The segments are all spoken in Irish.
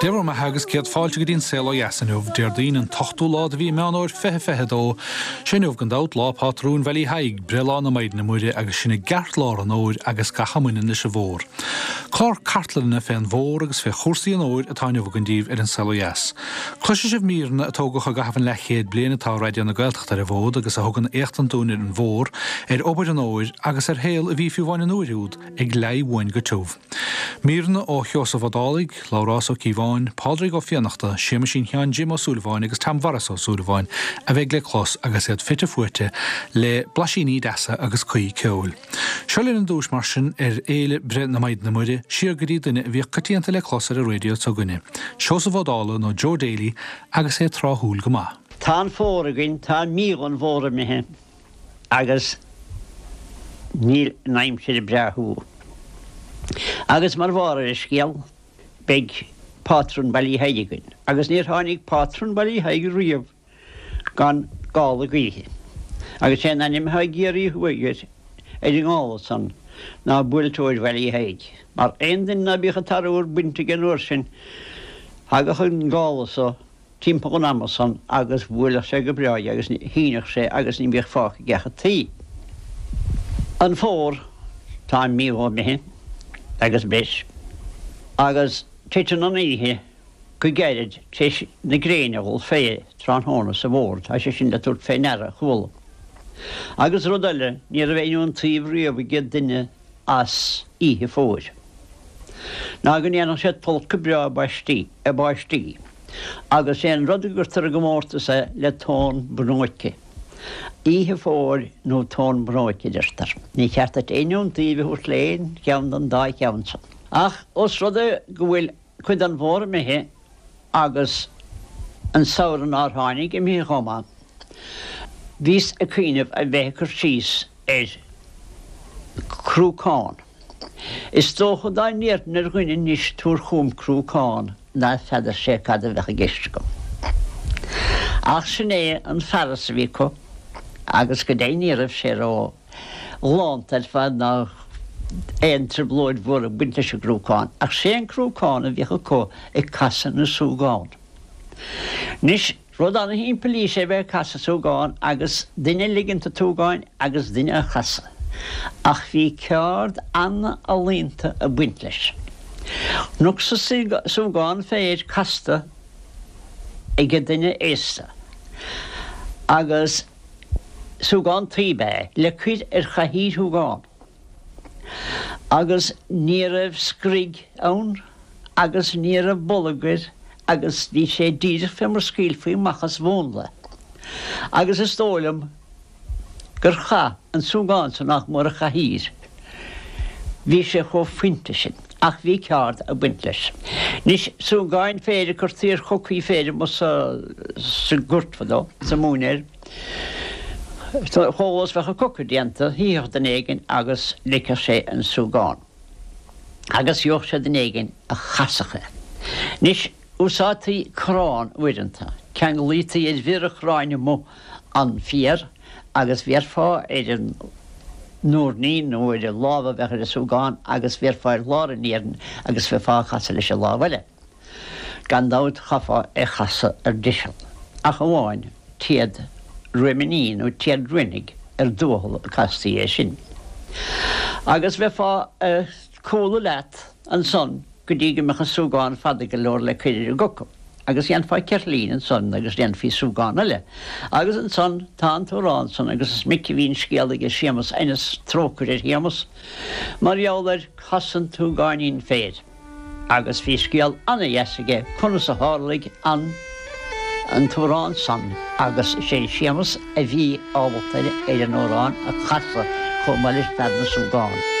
Dé bhur mbeatha agus céad fáilte go dtí an Saol Ó Dheas inniu, Déardaoin an t-ochtú lá de mhí Meán Fómhair 2022. Sé inniu gan dabht lá pátrúin Bhaile Thaidhg, breithlá na Maighdine Muire agus sin i gceartlár an fhómhair agus gach a mbaineann leis an bhfómhar. Clár cartlainne fén bhfómhar agus fé chúrsaí an fhómhair atá inniu againn daoibh ar an Saol Ó Dheas. Cloisfidh sibh míreanna a tógadh i gcaitheamh an leathchéad bliain atá Raidió na Gaeltachta ar an bhfód agus a thugann éachtaint dúinn ar an bhfómhar, ar obair an fhómhair agus ar shaol a bhí fiú amháin an uair úd ag leí uainn go tiubh. Míreanna ó Sheosamh Ó Dálaigh, Labhrás Ó Cíobháin, Pádraig Ó Fiannachta, Séamaisín Sheáin Jim Ó Súilleabháin agus Tom Mhaurice Ó Súilleabháin a bheidh le clos agus iad fite fuaite le blaisíní deasa agus cuí ceoil. Seo linn ar dtúis mar sin ar fhéile breith na Maighdine Muire, siar go dtí duine a bhíodh coitianta le clos ar an raidió s'againne, Seosamh Ó Dálaigh nó Joe Daly agus é tráthúil go maith. Tá an fómhar againn, tá mí dhon bhfómhar imithe agus níl an aimsir ag breátú. Agus mar bharr ar an scéal, beidh pátrún Bhaile Thaidhg againn. Agus níor tháinig pátrún Bhaile Thaidhg riamh gan gála gaoithe. Agus sé an ainm atá i gCiarraí Thuaidh air, ar an ngála san, ná Buailteoir Bhaile Thaidhg. Mar aon duine ná bíodh an t-arbhar bainte aige an uair sin, thagadh an gála so, timpeall an ama san agus bhuailfeadh sé go breá é agus shíneadh sé agus ní bhíodh fágtha aige ach an tuí. An fómhar, tá mí dhó imithe agus breis, agus titeann an oíche go gairid tar éis na gréine a dhul fé tráthnóna sa bhfómhar, tá sé sin le tabhairt fé ndeara, chuala. Agus rud eile, ní raibh aon iontaoibh riamh ag duine as oíche fómhair ná go ndéanfadh sé tolcadh breá i bpáistí, agus sé an rud a gcuirtear i gcomórtas é le tóin bhnóice. Oíche fómhair nó tóin bhnóic, a deirtear. Ní cheart duit aon iontaoibh a thabhairt le aon cheann den dá cheann san. Ach os rud é go bhfuil cuid den bhfómhar imithe agus an samhradh nár tháinig imithe chomh maith, bhíos ag cuimhneamh a bheith ag cur síos ar chrúcán. Is dócha dá ndéarfainn ar dhuine anois tabhair chugam crúcán ná feadar sé cad a bheadh i gceist agam. Ach sin é an fearas a bhí acu agus go deimhin ní raibh sé ró ghalánta ar fad ná aon trioblóid mhór ag baint leis an gcrúcán. Ach sé an crúcán a bhíodh acu ag casadh na súgán. Anois. Rud ana-shimplí is ea bheith ag casadh súgán agus duine ag ligint an tsúgáin agus duine á chasadh. Ach bhí ceárd ana-ealaíonta ag baint leis. Chonacsa súgán féir casta ag duine aosta agus súgán tuí ab ea é, le cuir ar chathaoir shúgán. Agus ní raibh screig ann agus ní raibh bolg air agus bhí sé díreach fé mar scaoilfí amach as mhúnla. Agus is dóigh liom gur chaith an súgán san nach mór an chathaoir. Bhí sé chomh fuinte sin. Ach bhí ceárd ag baint leis. Anois, súgáin féir a cuirtí ar chocaí féir amuigh sa sa gort fadó, sa móinéar. Chomh luath is bheadh an coca déanta, shuífeadh duine éigin agus ligfeadh sé an súgán. Agus gheobhadh sé duine éigin a chasfadh é. Anois, úsáidtí corrán uaireanta. Ceanglaítí ar bhior an chorráin amuigh an fiar agus bhéarfá ar an ndoirnín nó ar an lámh a bheadh ar an súgán agus bhéarfá ar lár an iarainn agus bheifeá á chasadh leis an lámh eile. Gan dabht chaithfeá é chasadh ar deiseal, ach amháin téad ruaimíní nó téad ruainigh ar dtuathal a castaí é sin. Agus bheifeá ag cúlú leat ansan go dtí go mbeadh an súgán fada go leor le cuir ar an gcoca. Agus dhéanfá ceirtlín ansan agus dhéanfaí súgán eile. Agus ansan tá an t-amhrán san agus is minic a bhí an scéal aige Séamus Ennis, trócaire ar Shéamus, mar gheall ar casadh an tsúgáinín féir. Agus bhí scéal ana-dheas aige conas a tharlaigh an an t-amhrán san agus is é Séamus a bhí ábalta ar an amhrán a chasadh chomh maith le fear na súgán.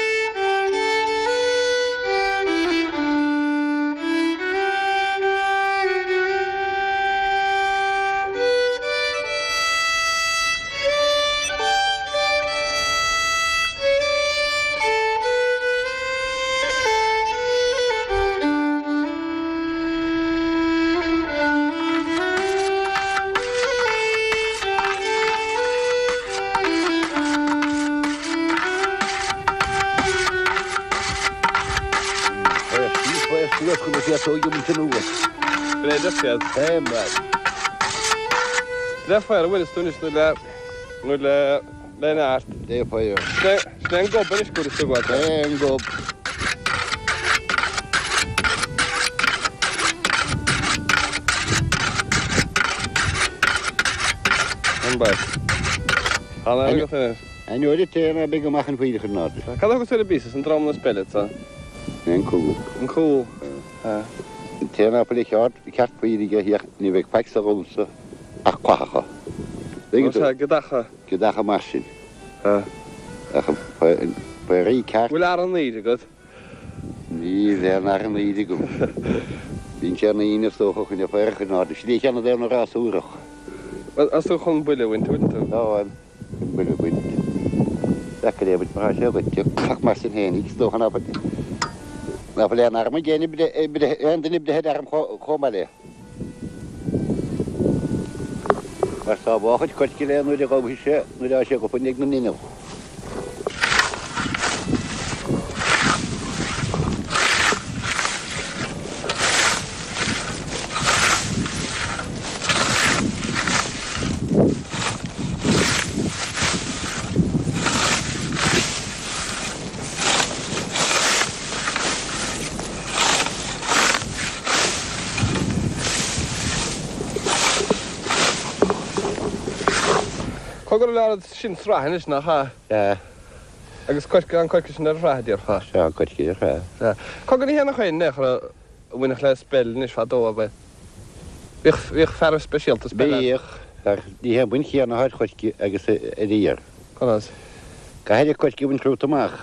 Suas go raibh sé ag baint anuas. Bréideach iad. Hey man. Le faobhar a bhaineas tú anois nó le nó le le neart. Le faobhar. Sin é an gob anois go bhfuil tú ag gabháil. É an gob. An bhfuil. Tá an agat anois. An oiread céanna beidh amach an faoileach in airde. Cad a thugas ar an bpíosa san drom na speile sa? An cúl. An cúl. An té ná fuil a cheart ceart faoiligh aige thiar ní bheidh faic sa dhrom so ach cuathacha. Tuigeann tú? Sea, gideacha. Gideacha mar sin. Ach faoirí ceart. Bhfuil arán aoir agat? Níl aon arán aoir agam. Bíonn sé ina aoine is dócha chun a faor a chur in airde. Sin é cheana d'aon rás úrach. Bhuel, is tú chun buille a bhaint, bhfuil tú? Táim. Chun buille a bhaint. Deacair é a bhaint mar tá sé goite. Ach mar sin féinig, is dócha ná fuil aon arm ag aon duine breithe ar arm chomh maith léi. Mar sábháilfead coirce léi nuair a ghabhfaidh sé, nuair atá sé go fuinneog na n-inneall. Cogar a leor sin sraith anois, nach ea? Sea. Agus coirce, an coirce sin ar shraith, a déarfá? Sea, an coirce ar shraith. Sea. Cogar ní hé nach é an a bhainfeadh le speil anois fadó, ab ea? Bhíodh, bhíodh fear speisialta speile ann. Bhíodh, ach ní hé an bhaint chéanna atá ar choirce agus ar fhéar. Conas? Caithfidh an coirce a bhaint romhat amach,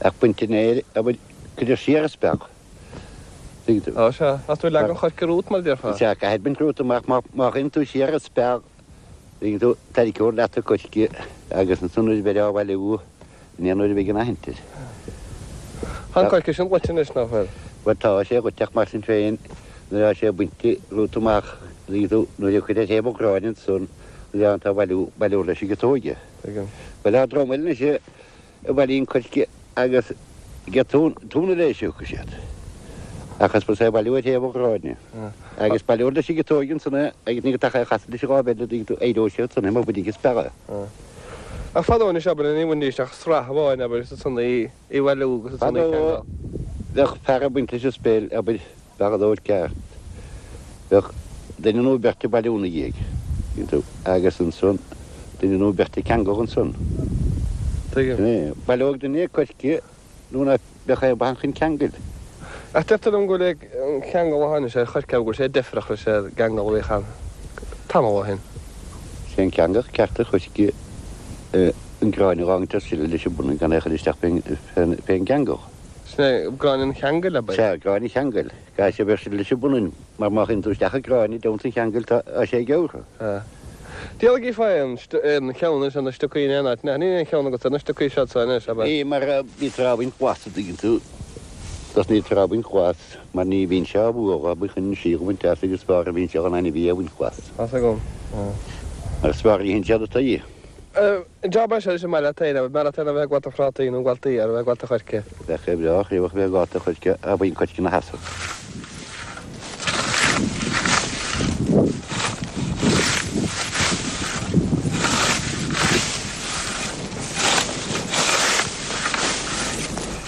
ach baint an fhéir, abair, cuirtear siar an speal. Tuigeann tú? Á, sea. Ach tú ag leagan an choirce romhat, mar a déarfá. Sea, caithfidh baint romhat amach, má, má chuireann tú siar an speal, tuigeann tú, tarraiceofar leat an coirce agus ansan nuair a bheir á bhailiú, Ní aon uair a bheidh an aithint air. Tá an coirce sin goite anois, nach bhfuil? Bhuel, tá sé goite ach mar sin féin, nuair atá sé bainte romhat amach, tuigeann tú, nuair a chuir ar thaobh an ghráin ansan, nuair atá tú á bhailiú, baileofar leis an gciotóig é. Tuigim. Bhuel, tá dream eile anois a bhailíonn coirce agus giotún, túna léis a thiocfaidh siad. Ach is fusa é a bhailiú ar thaobh an ghráin. Agus baileofar leis an gciotóig ansan é agus ní go dtaca é a chasadh leis an láimh eile, tuigeann tú, éireoidh sé ansan é má bhainfidh an speal é. Ach fadó anois, abair, ní bhainfidís ach sraith amháin, abair, is ansan í a bhailiú agus ansan í a Fadó cheangal. bheadh fear ag baint leis an speil, abair, bheadh an ceart. Bheadh duine nó beirt ag bailiú ina dhiaidh, tuigeann tú, agus ansan duine nó beirt ag ceangal ansan. Tuigim. Sin é. Baileoidh duine coirce nó ná beadh aon mhaith chun ceangail. Ach deirtear liom go bhfuil an ceangal a tháinig sé ar choirce go bhfuil sé deifreach leis an gceangal a bhíodh ann tamall ó shin. Sé an ceangal ceart ar choirce an gráinne a dh'fhágaint ar sileadh leis an bpunann gan é a chur isteach fén gceangal. Sin é gráinne an cheangail, ab ea? Sea, gráinne an cheangail. Caithfidh sé a bheith ar sileadh leis an bpunann, mar má chuireann tú isteach an gráinne i dteannta an cheangail tá sé gearrtha. Sea. Diabhal gífeá aon cheann anois ar na stocaí in aon áit, níl aon cheann agat ar na stocaí seo so anois, ab ea? Ní, mar bítear á bhaint glas, a dtuigeann tú. Tosnaítear á bhaint glas, mar ní bhíonn sé á bhualadh, abair, chun an síol a bhaint as agus is fearr a bhíonn sé dhon ainmhí a bhaint glas. Tá's agam. Mar is fearr a itheann siad an tuí. An jab é seo anois an maith leat féin, abair, maith leat féin a bheith ag gabháil do phrátaí nó ag gabháil d'fhéar, a bheith ag gabháil do choirce? Bheadh sé breá craobhach a bheith ag gabháil do choirce, a bhíonn coirce ina sheasamh.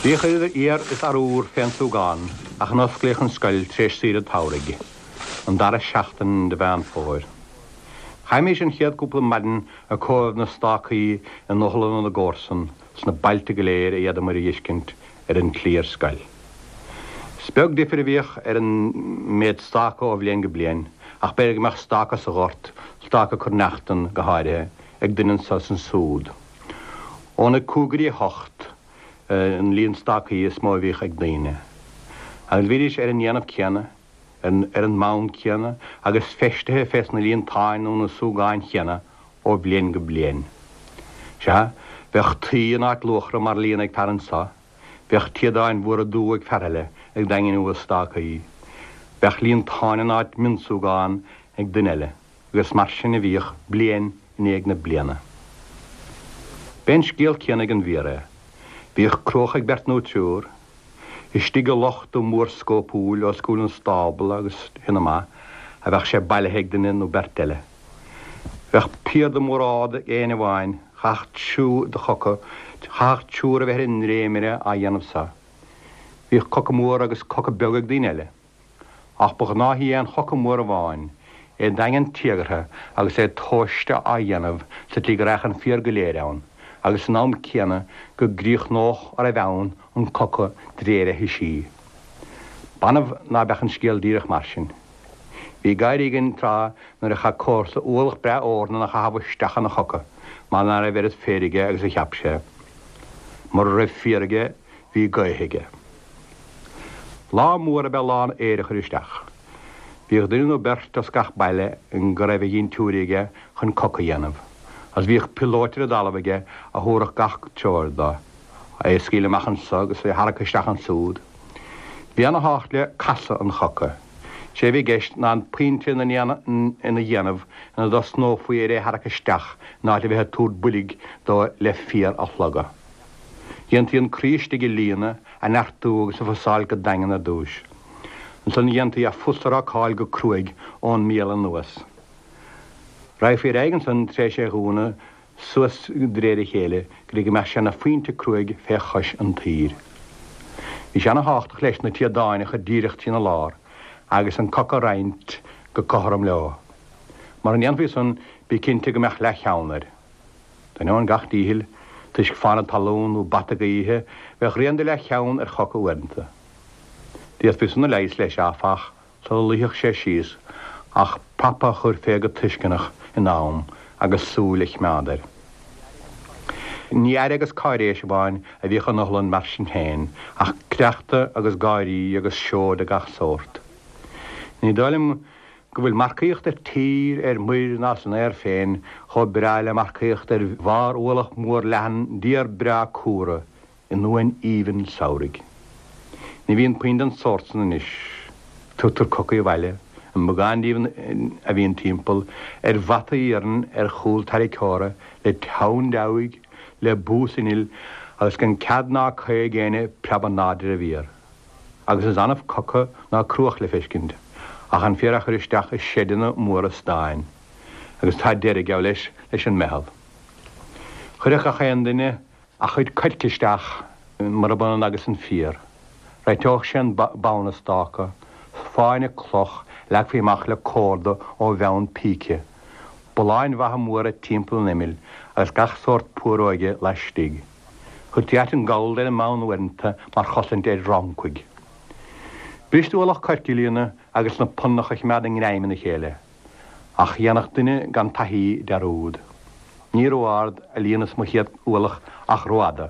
Bhíodh idir fhéar is arúr fén súgán ach a n-osclaíodh an scoil tar éis saoire tsamhraidh, an dara seachtain de Mheán Fómhair. Chaithimís an chéad cúpla maidin ag comhaireamh na stácaí i n-otharlanna na gcomharsan sna bailte go léir a d'fhéadamair a dh'fheiscint ar an tslí ar scoil. Is beag difir a bhíodh ar an méid stáca ó bhliain go bliain, ach b'fhéidir go mbeadh stáca sa ghort, stáca cruithneachtan go háirithe, ag duine anso is ansúd. Óna 5 go dtí 8 an líon stácaí is mó a bhíodh ag daoine. Agus bhídís ar an ndéanamh céanna, ar an mbonn céanna agus feistithe fés na líontáin nó na súgáin chéanna ó bhliain go bliain. Sea, bheadh tuí in áit luachra mar líon ag fear anso, bheadh téadáin mhóra dubha ag fear eile ag daingniú a stácaí, bheadh líontáin in áit mionsúgán ag duine eile, agus mar sin a bhíodh bliain i ndiaidh na bliana. B'é an scéal céanna ag an bhféar é. Bhíodh cruach ag beirt nó triúr. Istigh i loch dubh mór scópúil os cúl an stábla agus shin amach a bheadh sé bailithe ag duine nó beirt eile. Bheadh piarda mór ard ag éinne amháin, chaithfeadh triúr de choca, chaithfeadh triúr a bheith ar an ndréimire á dhéanamh so. Bhíodh coca mór agus coca beag ag daoine eile. Ach ba ghnáthaí aon choca mór amháin, é daingean téagartha agus é tomhaiste á dhéanamh sa tslí go raghadh an fíor go léir ann, agus san am céanna go gcríochnódh a raibh ann an coca d'réir a thoisí. B'annamh ná beadh an scéal díreach mar sin. Bhí gáirí againn tráth nuair a chaith comharsa ualach breá eornan a chaitheamh isteach ina choca mar ná raibh oiread féir aige agus a cheap sé. Mura raibh féar aige, bhí gaoth aige. Lá mór ab ea lá an fhéir a chur isteach. Bhíodh duine nó beirt as gach baile go raibh a dhintiúirí aige chun coca a dhéanamh, agus bhíodh piolóit ar an dtalamh aige a thabharfadh gach treoir dó, é a scaoileadh amach anso agus é a tharrac isteach ansúd. Bhí ana thábhacht le casadh an choca. Sé a bhí i gceist ná an pointe ina dhéanamh ina dtosnófaí ar é a tharrac isteach in áit a bheith ag tabhairt boilg dó le fiar a shlogadh. Dhéantaí an croí istigh a líonadh, a neartú agus a fusáil go daingean ar dtúis. Ansan dhéantaí a fhusrácáil go cruaidh ón mbéal anuas. Raghfaí ar aghaidh ansan tar éis é dhúnadh suas d'réir a chéile go dtí go mbeadh sé 'na phointe cruaidh fé chois an tsaoir. Bhí sé ana thábhachtach leis na téadáin a chur díreach trína lár agus an coca a roinnt go cothrom leo. Mura ndéanfaí san bí cinnte go mbeadh leath-cheann air. D'ainneoin gach díchill, toisc fána talún nó bata gaoithe, bheadh rian de leathcheann ar choca uaireanta. D'fhéadfaí san a leigheas leis, áfach, sula luífeadh sé síos, ach prapa a chur fé go tuisceanach in am agus súil a choimeád air. Ní aire agus cáiréis amháin a bhíodh in otharlann mar sin féin, ach cleachtadh agus gáirí agus seó de gach sórt. Ní dóigh liom go bhfuil marcaíocht ar tír, ar muir ná san aer féin chomh breá le marcaíocht ar bharr ualach mór leathan d'fhéar breá cumhra i ndomhain aoibhinn samhraidh. Ní bhíonn puinn den sórt san anois. Tugtar cocaí abhaile, an beagán díobh a bhíonn timpeall, ar bhataí iarainn ar chúl tarraiceora le teann deabhaidh, le bús innill agus gan cead ná caoi ag éinne preabadh ná de bhfiar. agus is annamh coca ná cruach le feiscint, ach an féar á chur isteach i seideanna móra stáin, agus tá deireadh, geall leis, leis an meitheal. Chuirfeadh gach aon duine a chuid coirce isteach, murab ionann agus an fíor. Réiteodh sé an bonn an stáca, fáinne cloch a leagfaí amach le córda ó bhonn píce, bulláin mhaithe mhóra timpeall an imill agus gach sórt púróige laistigh. Chuirtí aiteann gallda ar an mbonn uaireanta mar chosaint ar fhrancaigh. B'fhuirist ualach coirce a líonadh agus na punnacha a choimeád i ngreim ina chéile. Ach dhéanfadh duine gan taithí dearúd. Ní ró-ard a líonas mo chéad ualach ach rófhada,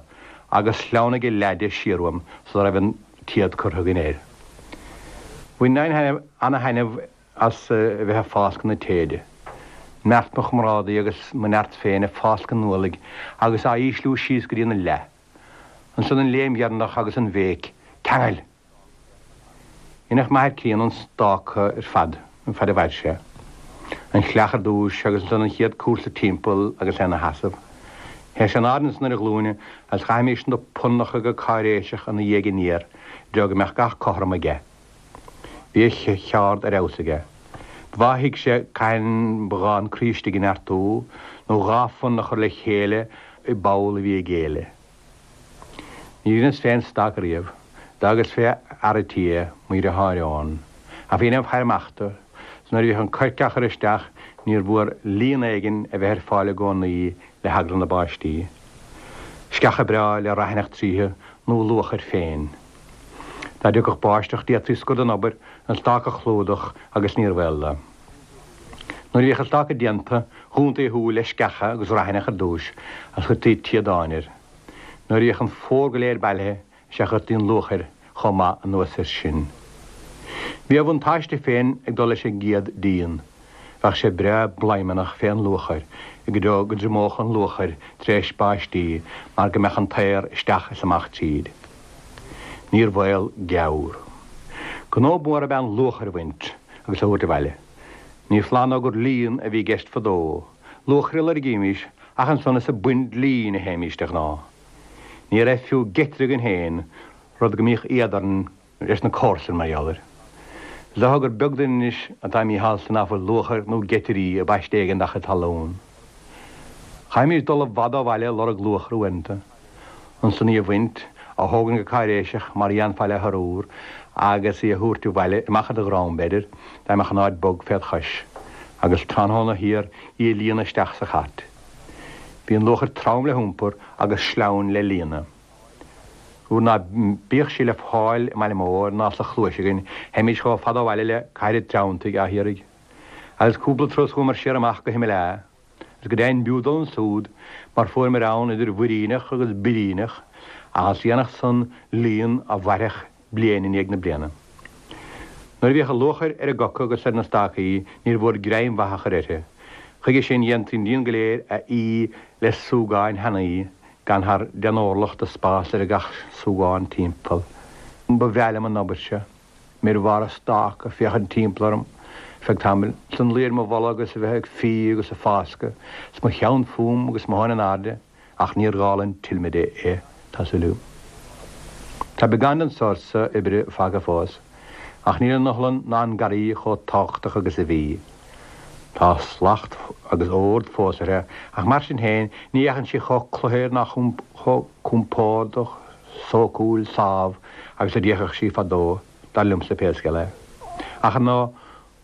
agus shleamhnaigh a leath de siar uaim sula raibh an téad curtha againn air. Bhaininn ana-thaitneamh as a bheith ag fáscadh na téide. Neart mo chomrádaí agus mo neart féin ag fáscadh an ualaigh agus á ísliú síos go dtí an leath. Ansan an léim dheireanach agus an bhéic, Ceangail! Dheineadh m'athair críonna an stáca ar fad, an fad a mhair sé. An chreach ar dtúis agus ansan an chéad cúrsa timpeall agus é ina sheasamh. Théadh sé in airde ansan ar a ghlúine agus chaithimís na punnacha go cáiréiseach ina dhiaidh aniar i dtreo go mbeadh gach cothrom aige. Bhí a cheárd ar fheabhas aige. Ba mhaith a thuig sé cathain ba ghá an croí istigh a neartú, nó dha phunann a chur le chéile i bpoll a bhí ag géilleadh. Ní dheineas féin stac riamh. D'fhágas fé fhear a' tí é, mo dhriotháir Eoghan. Ach bhínn im faire amach dó, 's nuair a bhíodh an coirce á chur isteach níor mhór líon éigin a bheith ar fáil i gcónaí le heagla na báistí. Sceacha breá le raithneach tríothu nó luachair féin. Dá dtiocfadh báisteach d'fhéadfaí scor den obair, an stáca a chlúdach agus níor bhaol dó. Nuair a bhíodh an stáca déanta, dhúntaí a shúil le sceacha agus raithneach ar dtúis agus chuirtí téadáin air. Nuair a bhíodh an fómhar go léir bailithe is ea chuirtí an luachair chomh maith anuas air sin. Bhí a bhuntáiste féin ag dul leis an gcéad díon. Bheadh sé breá bladhmannach fé an luachair i dtreo go dtriomódh an luachair tar éis báistí mar go mbeadh an t-aer isteach is amach tríd. Níor bhaol geamhar. Gnó mór ab ea an luachair a bhaint agus a thabhairt abhaile. Ní foláir nó gur líon a bhí i gceist fadó. Luachair a loirgímís ach ansan is ag baint lín a théimís de ghnáth. Ní raibh fiú geitire againn féin. Rud go mbíodh éad orainn leis na comharsain mar gheall air. Is dócha gur beag duine anois atá míshásta ná fuil luachair nó geitirí i bpaiste éigin dá chuid talún. Chaithfimis dul i bhfad ó bhaile ag lorg luachra uaireanta. Ansan í a bhaint, a thógaint go cáiréiseach mar a dhéanfá le hurúr agus í a thabhairt abhaile, amach ar do dhrom, b'fhéidir, dá mbeadh an áit bog féd chois, agus tráthnóna thiar í a líonadh isteach sa chairt. Bhí an luachair trom le hiompar agus sleamhain le líonadh. Nuair ná bíodh sí le fáil i mbaile mór ná sa chluais againn, theimis chomh fada ó bhaile le Cathair an Treanntaigh á hiarraidh. Agus cúpla turas chuamar siar amach go hImeall A. Agus go deimhin b'fhiú dul ansúd, mar fuaireamar ann idir mhuiríneach agus biríneach, ach is dhéanfadh san líon a mhairfeadh bliain i ndiaidh na bliana. Nuair a bhíodh an luachair ar an gcoca agus ar na stácaí níor mhór greim mhaith a chur uirthi. Chuige sin dhéantaí an líon go léir a fhí le súgáin thanaí gan thar deich n-orlach de spás idir gach súgán timpeall. Ba bhreá liom an obair seo. Mé ar bharr an stáca ag féachaint timpeall orm ar feadh tamaill, 's an luí ar mo bholg agus a bheith ag fí agus ag fáscadh, 's mo cheann fúm agus mo thóin in airde. Ach níor dhála an tilmide é, tá súil agam. Tá beagán den sórt so oibre fágtha fós, ach níl an iothlainn ná an garraí chomh tábhachtach agus a bhí. Tá slacht agus ord fós uirthi, ach mar sin féin ní fhéachann sí chomh cluthair ná chomh compordach, sócúil, sámh agus a d'fhéachadh sí fadó, dar liomsa pé scéal é. Ach ar ndóigh,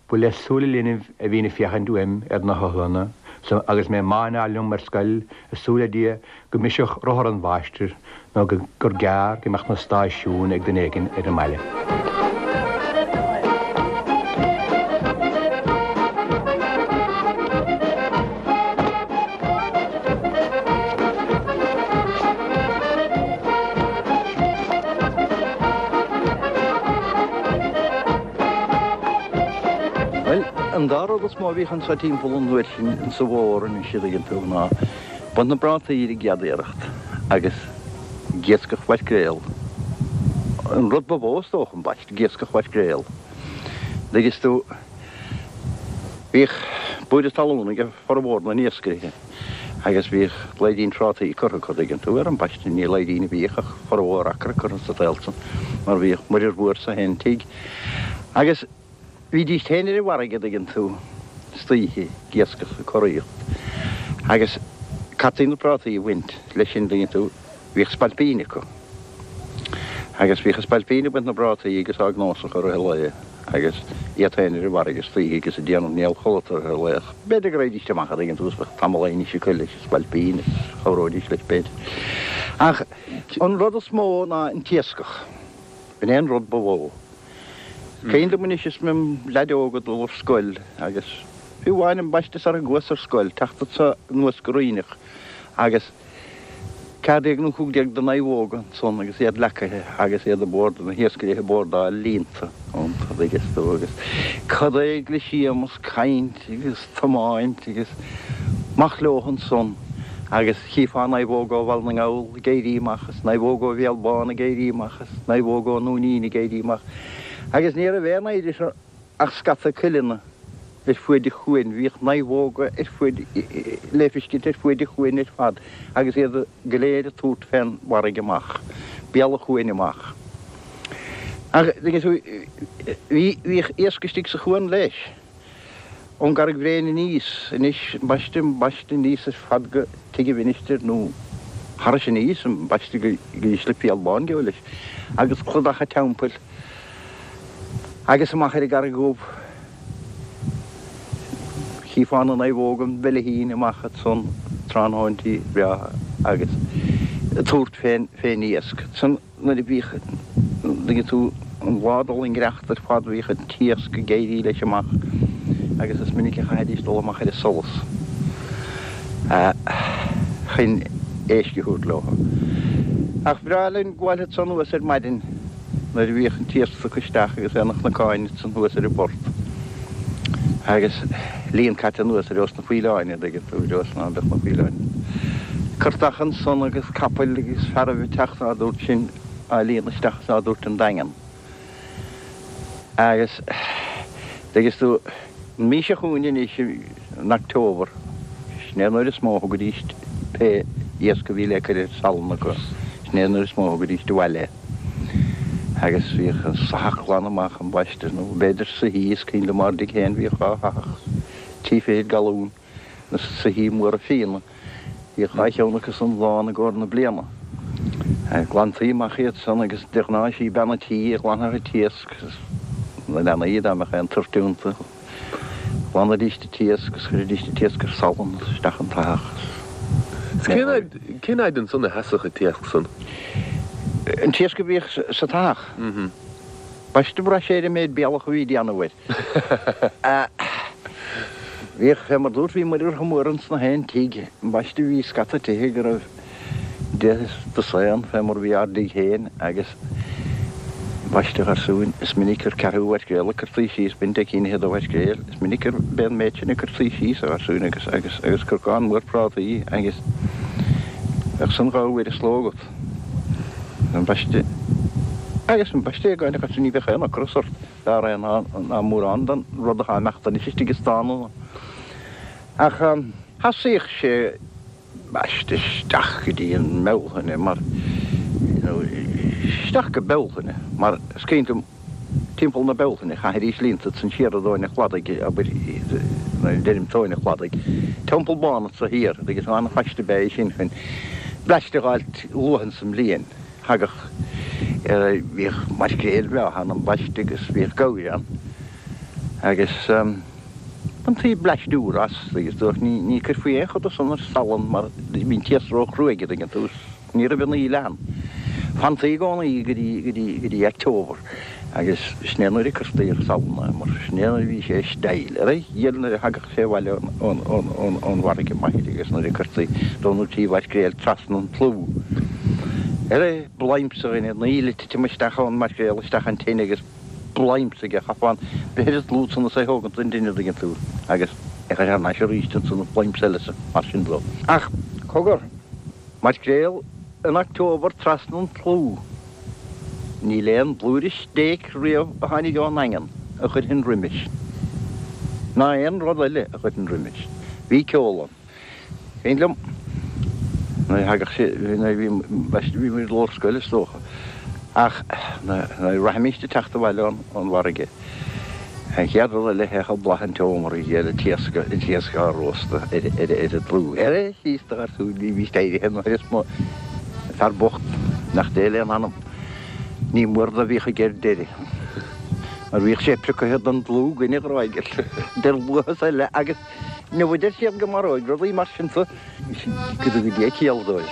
Ba le súile linbh a bhínn ag féachaint uaim ar na hiothlainne so agus mé ag máinneáil liom ar scoil ag súil le Dia go mbrisfeadh rothar an mháistir nó gur gearr go mbeadh na stáisiúin ag duine éigin ar an mbaile. Bhuel, an dá rud is mó a bhíodh anso timpeall an uair sin insa bhfómhar anois a dtuigeann tú ná baint na bprátaí ar an gcéad iarracht agus ag iascach mhaicréal. An rud ba mhó is dócha, ambaiste, ag iascach mhaicréal. Dtuigeann tú, bhíodh búire talún ag formhór na n-iascairithe. Agus bhíodh laidín trátaí curtha acu, dtuigeann tú, ar ambaiste, ní laidín a bhíodh ach formhór acu curtha sa tsaol san, mar bhíodh muirear mhór sa haon tigh. Agus bhídís féin ar an bhfarraige, dtuigeann tú, istoíche, ag iascach, ag curaíocht. Agus caití na prátaí a bhaint leis sin, dtuigeann tú, bhíodh spailpín acu. Agus bhíodh an spailpín ag baint na bprátaí agus á gcnósach i rith an lae agus iad féin ar an bhfarraige istoíche agus ag déanamh néal chodlata i rith an lae ach b'fhéidir go raghaidís amach a' dtuigeann tú is bheadh tamall ainnise acu leis an spailpín is chabhróidís leis b'fhéidir. Ach an rud is mó ná an t-iascach. B'in é an rud ba mhó. Is cuimhin liom anois is mé im leaid óg ag dul ar scoil agus fiú amháin ambaiste sara gcuas ar scoil, teacht anso anuas go Ríneach agus 14 nó 15 de naomhóga ansan agus iad leacaithe agus iad ag bord, na hiascairí ag bordáil líonta iontu, a dtuigeas tú, agus cad é le Séamus caint agus tiomáint agus amach leo ansan agus chífeá naomhóga ó Bhaile na nGall ag éirí amach is naomhóga ó Bhéal Bán ag éirí amach is naomhóga ón nDúinín ag éirí amach agus ní raibh aon oidhre ach scata cuileanna ar fuaid an chuain. Bhíodh naomhóga ar fuaid, le feiscint ar fuaid an chuain ar fad agus iad go léir ag tabhairt fén bhfarraige amach, béal an chuain amach. Ach, bhí, bhíodh iasc istigh sa chuan leis, ón gCarraig Bhréin aníos, anois, ambaiste, ambaiste aníos ar fad go Tigh an Mhinistir nó thairis aníos, ambaiste go dtí Slip Bhéal Bán, geall leis, agus cladach an Teampaill. Agus amach ar an gCarraig Dhubh, chífeá na naomhóga an bheilithín amach ansan tráthnóintí breátha agus ag tabhairt fén, fén iasc. Ansan nuair a bhíodh, dtuigeann tú, an lá ag dul i ngiorracht ar fad bhíodh an t-iasc ag éirí leis amach agus is minic a chaithfidís dul amach ar an solas chun éisc a thabhairt leo. Ach bhreá linn gabháil ansan anuas ar maidin. nuair a bhíodh an t-iasc tugtha isteach agus é ina chnocáin ansan thuas ar an bport agus líon caite anuas ar nós na faoileáin, a' dtuigeann tú, ar nós ná beadh na faoileáin curtach ansan agus capaill agus fearaibh ag teacht á dtabhairt sin á líonadh isteach is á dtabhairt 'on Daingean. Agus, dtuigeas tú, an mhí seo chugainn anois, in October, sin é an uair is mó a thugaidís pé iasc a bhí le cur ar salann acu, sin é an uair is mó a thugaidís abhaile é. Agus bhíodh an soitheach glan amach ambaiste, nó b'fhéidir soithí, is cuimhin liom ár dtigh féin bhíodh 2 shoitheach, 30 fichid galún, na soithí móra fíona, bhíodh 2 cheann acu san lán i gcomhair na bliana. Ghlantaí amach iad san agus de ghnáth is í bean an tí a ghlanfadh an t-iasc, na leanaí dá mbeadh aon toirt iontu. Ghlanaidís an t-iasc agus chuiridís an t-iasc ar salann agus isteach an t-soitheach. Is cén fhaid, cén fhaid ansan a sheasfadh an t-iasc san? An t-iasc a bhíodh sa tsoitheach? Ambaiste bhraith sé ar an méid bealach a bhí déanamh air. Bhíodh, fé mar dúrt, bhí muirear chomh mór ins na haon tigh. Ambaiste bhí scata tithe go raibh deich dosaen fé mar bhí ár dtigh féin agus ambaiste a gharsúin, is minic gur ceathrú mhaircréal a cuirtí síos, b'in deich gcinn fhichead de mhaircréil, is minic gur b'é an méid sin a cuirtí síos a gharsúin agus, agus, agus corcán mór prátaí agus bheadh san 2 uair an sló agat. Ambaiste, agus ambaiste a gharsúin ní bheadh aon ocras ort dá réir ná, ná mórán den rud atá imeacht anois istigh i stánanna. Ach sheasaíodh sé ambaiste isteach go dtí an mBealtaine mar, nó isteach go Bealtaine mar is cuimhin liom timpeall na Bealtaine chaithidís líonta ansan siar i dtóin an chladaigh, abair, nuair a deirim tóin an chladaigh, Teampall Bán anso thiar agus an-phaiste ab ea é sin chun bleaist a dh'fháilt luath insa mbliain. Thagadh, bhíodh maircréil bhreátha ann ambaiste agus bhíodh gabhair ann agus. Bhaintí bleaist úr as agus dúirt ní ní cuirfí aon chor de san ar salann mar bhí an t-iasc ró-chruaidh an dtuigeann tú ní raibh an fhuil ann. Fantaí i gcónaí go dtí go dtí go dtí October agus sin é nuair a cuirtí ar salann é mar sin é nuair a bhí sé i style. Ar a dhíol nuair a thagadh sé abhaile ón ón ón ón ón bhfarraige m'athair agus nuair a cuirtí dó nó trí mhaircréal trasna an tlú. Ar a bhlaimse a dhuine an fhuil ag titim isteach ón maircréal isteach an tine agus blaimse aige, chaithfeá an breith ar an dlúth san is é thógaint don duine, an dtuigeann tú, agus é chur thar n-ais arís ansan, blaimse eile is mar sin dó. Ach, cogar, maircréal in October trasna an tlú, níl aon bhlúire stéic riamh a tháinig ón nDaingean a chuirfinn roimis, ná aon rud eile a chuirfinn roimis. Bhí ceol ann. Cuimhin liom nuair a thagadh sé, nuair a bhí, bhí muid i lár scoile is dócha, ach nuair a rachaimis ag teacht abhaile ón bhfarraige, an chéad rud eile théadh boladh an tseomra ar an t-iasc, an t-iasc á róstadh ar, ar, ar an dtlú. Ar síos do gharsún, bhí, bhí éirithe nuair is mo, fear bocht, nach Dé lena anam, ní mór do bhíodh aige ar deireadh, mar bhíodh sé priocaithe don dlúth againn a ghráig, idir luath is eile agus. Inniu a deir siad go maróidh rudaí mar sin tú, go dtuga Dia ciall dóibh.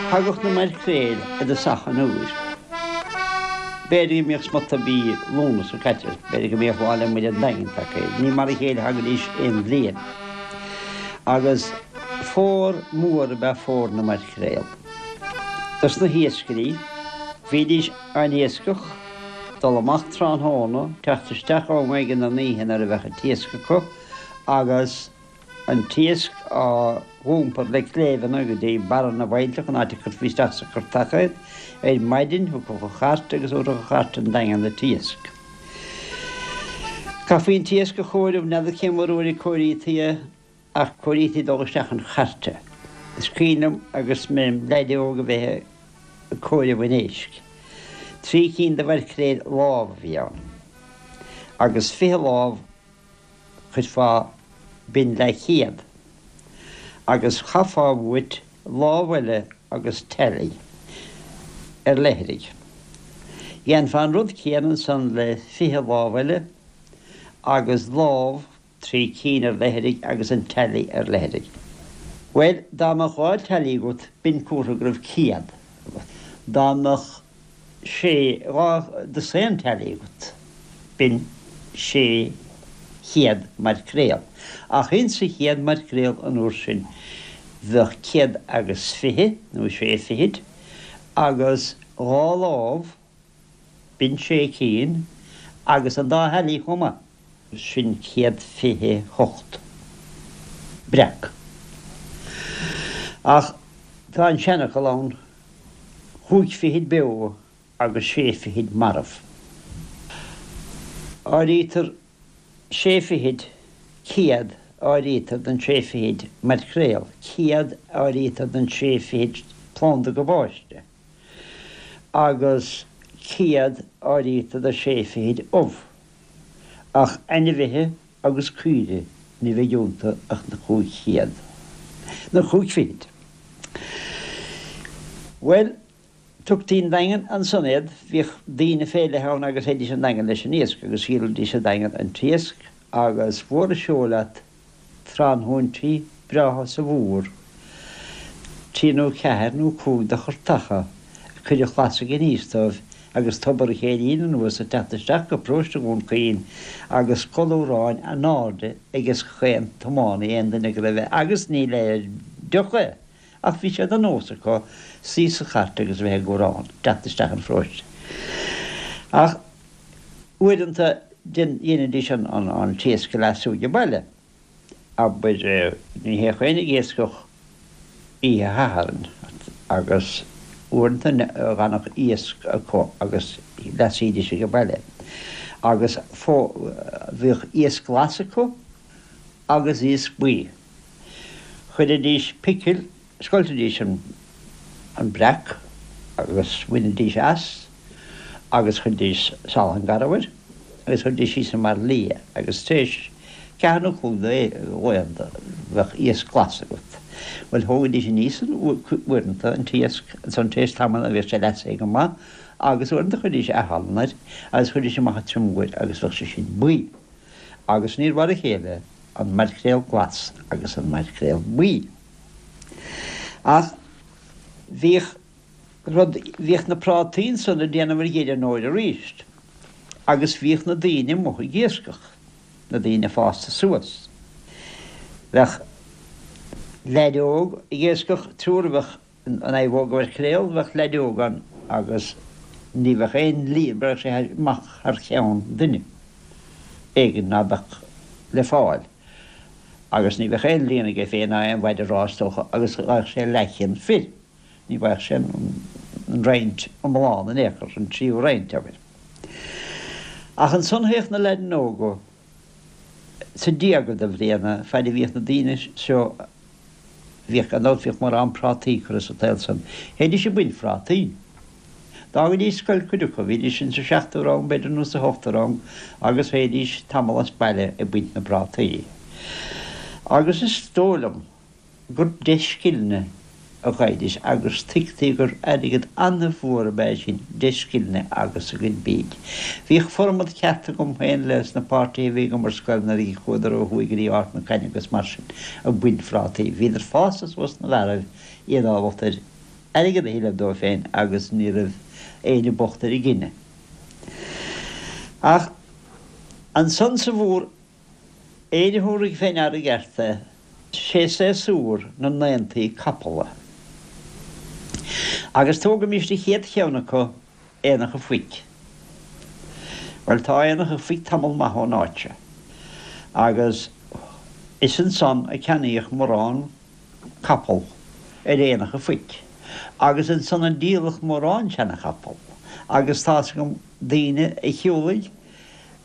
Thagadh na maircréil i dtosach an uair. B'fhéidir go mbíodh smut de mhí Lúnasa caite, b'fhéidir go mbíodh Lá 'le Muire an Daingin tagtha. Ní mar a chéile a thagaidís aon bhliain. Agus fómhar mór ab ea fómhar na maircréal. Dos na hiascairí, bhídís an-iascach, dul amach tráthnóna, teacht isteach am éigin an oíche nuair a bheadh an t-iasc acu, agus an t-iasc á dh'iompar le cléibheanna go dtí barra na bhfaillteach, an áit a cuirfí isteach sa churtach iad. Ar maidin thiocfadh an chairt agus thabharfadh an chairt 'on Daingean an t-iasc. Chaithfí an t-iasc a chomhaireamh, n'fheadar cé mar uair a comhairítaí é, ach comhairítaí dul isteach an chairte. Is cuimhin liom agus mé im leaid óg a bheith ag comhaireamh an éisc. 3 cinn de mhaircréil lámh a bhí ann, agus 20 lámh chuirfeá, b'in leathchéad, agus chaithfeá uait lámh eile agus teailí ar leithrigh. Dhéanfá an rud céanna ansan le 20 lámh eile agus lámh, 3 cinn ar leithrigh agus an teailí ar leithrigh. Bhuel, dá mbeadh 2 teailí agat, b'in comhartha go raibh 100 agat. Dá mbeadh. sé, 2 dosaen teailí agat, b'in 600 maircréal. Ach insa chéad maircréal an uair sin bheadh 120, nó sé fichid, agus 2 lámh, b'in sé cinn, agus an dá theailí chomh maith. Sin 128 breac. Ach tá an seanfhocal ann. Chúig fichid beo agus sé fichid marbh. Áirítear sé fichid, 100, áirítear den sé fichid maircréal, 100 áirítear den sé fichid planda gabáiste, agus 100 áirítear de sé fichid ubh. Ach ainmhithe agus caoirigh ní bheidh iontu ach na 500, na chúig fichid. Bhuel, tugtaí 'on Daingean ansan iad, bhíodh daoine fé leith ann agus théidís 'on Daingean leis an iasc agus dhíolaidís sa Daingean an t-iasc agus mhór an seó leat tráthnóintí breátha sa bhfómhar, trí nó ceathair nó cúig de chartacha ag cur an chlasaigh aníos dóibh agus Tobar an Chéirín anuas ag teacht isteach go paróiste Dhún Chaoin agus colúráin anáirde ag chaon tiománaí, aon duine go raibh agus ní le deoch é ach bhí sé de nós acu suí sa chairt agus a bheith ag gúrán, teacht isteach an pharóiste. Ach uaireanta dheinidís an t-iasc a leasú age baile. Abair, ní théadh éinne ag iascach oíche Shathairn agus uaireanta d'fhanadh iasc acu agus leasaídís age baile. Agus bhíodh iasc glas acu agus iasc buí. Chuiridís picil, scoiltidís an breac agus bhainidís as agus chuiridís salann garbh air agus chuiridís síos i mbairillí é agus tar éis ceathair nó cúig de laethanta bheadh iasc glas agat. Bhuel thógaidís aníos uaireanta an t-iasc ansan tar éis tamaill bhíodh sé leasaithe go maith agus uaireanta chuiridís athshalann air agus chuiridís amach an triomú air agus bheadh sé sin buí. Agus níor mhar a chéile an maircréal glas agus an maircréal buí. Ach bhíodh rud, bhíodh na prátaí ansan ag déanamh ar dheireadh an fhómhair aríst agus bhíodh na daoine amuigh ag iascach, na daoine fásta suas. Bheadh leaid óg ag iascach, triúr a bheadh An naomhóg mhaircréal, bheadh leaid óg ann agus ní bheadh aon líon, bheadh sé amach thar cheann duine éigin ná beadh le fáil agus ní bheadh aon líon aige féin ná aon mhaide rámha is dócha agus gheibheadh sé leathcheann fir, ní bhfaigheadh sé an roinnt iomlán in aon chor, an tríú roinnt, abair. Ach ansan théadh na leaideanna óga sa díoga de bhliana, faid a bhíodh na daoine seo, bhíodh, gan dabht, bhíodh mórán prátaí curtha sa tsaol san. Théidís ag baint phrátaí. D'fhágaidís scoil cuid acu, bhídís insa seachtú rang, b'fhéidir, nó sa hochtú rang, agus théidís tamall as baile ag baint na bprátaí. Agus is dóigh liom, gur deich scilne a gheibhidís agus tuigtí gur airgead an-mhór ab ea sin, deich scilne agus a gcuid bídh. Bhíodh formad ceart agam féin leis na páirtithe a bhí agam ar scoil nuair a chuadar ó thuaidh go dtí Ard na Caithne agus mar sin ag baint phrátaí. Bhíodar fásta suas ina bhfearaibh, iad ábalta ar airgead a thuilleamh dóibh féin agus ní raibh éinne bocht ar a gcine. Ach ansan sa bhfómhar Éinne a thabharfaidh fé ndeara i gceart é, sé séasúr na n-aontaí capall é. Agus tógaimis an chéad cheann acu, Aonach an Phoic. Bhuel, tá Aonach an Phoic tamall maith ón áit seo, agus is ansan a ceannaíodh mórán capall ar Aonach an Phoic, agus ansan a díoladh mórán seana-chapall, agus tá's agam daoine a shiúlaigh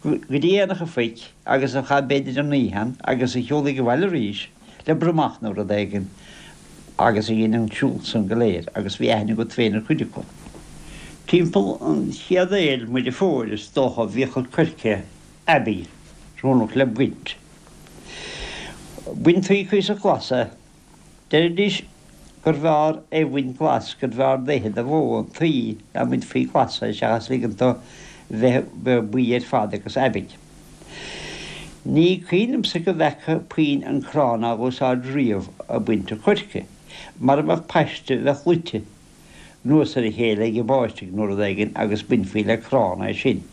go dtí Aonach an Phoic agus a chaith b'fhéidir an oíche ann agus a shiúlaigh abhaile arís le bromach nó rud éigin agus a dhein an siúl san go léir agus bhí aithne agat féin ar chuid acu. Timpeall an chéad fhéil Muire Fómhair is dócha bhíodh an coirce aibí oiriúnach le baint. Baintí cuíosach glas é. Deiridís gurbh fhearr é bhaint glas, gurbh fhearr d'fhéithe de bhó an tuí dá mbainfí glas é seachas ligean dó bheith buí ar fad agus aibidh. Ní cuimhin liomsa go bhfeaca puinn an crann á dh'úsáid riamh ag baint an choirce. Mara mbeadh paiste bheadh luite anuas ar a chéile ag an báisteach nó rud éigin agus bainfí le crann é sin.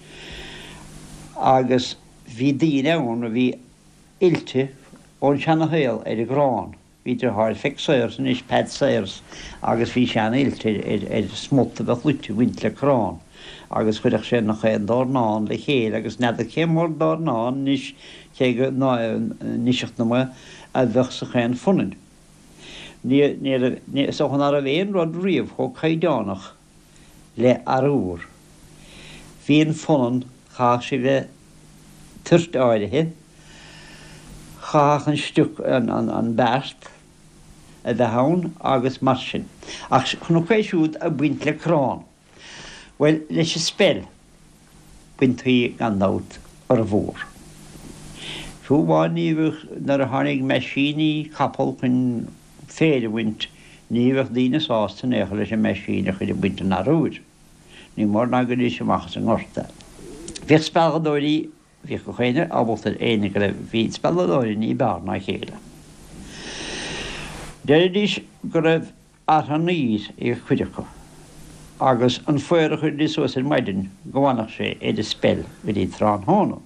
Agus bhí daoine ann a bhí oilte ón seana-shaol ar an gcrann. Bhí deartháir Pheig Sayers anois, Peaid Sayers, agus bhí sé an-oilte ar smut a bheadh luite a bhaint le crann agus chuirfeadh sé nach aon dornán le chéile agus n'fheadar cé mór dornán anois cé go n-iseacht na mba a bheadh sa chaon phunann. Ní, ní, is dócha ná raibh aon rud riamh chomh caighdeánach. Le arbhar. Bhí an phunann, chaithfeadh sí bheith toirt áirithe, chaithfeadh an stioc, an beart a bheith ann agus mar sin. Ach chonac é siúd ag baint le crann. Bhuel, leis an speil, baintí gan dabht fhormhór. Fiú amháin ní bheadh, nuair a tháinig meaisíní capall chun féar a bhaint, ní bheadh daoine sásta in aon chor leis an meaisín a chur ag baint an arbhair. Ní mór ná gcuiridís amach as an ngort é. Bhíodh spealadóirí, bhíodh gach éinne ábalta ar éinne go raibh, bhí spealadóirí ní b'fhearr ná a chéile. Deiridís go raibh artha an aoir ag cuid acu agus an faor a chuiridís suas ar maidin go bhfanfadh sé ar an speil go dtí tráthnóna.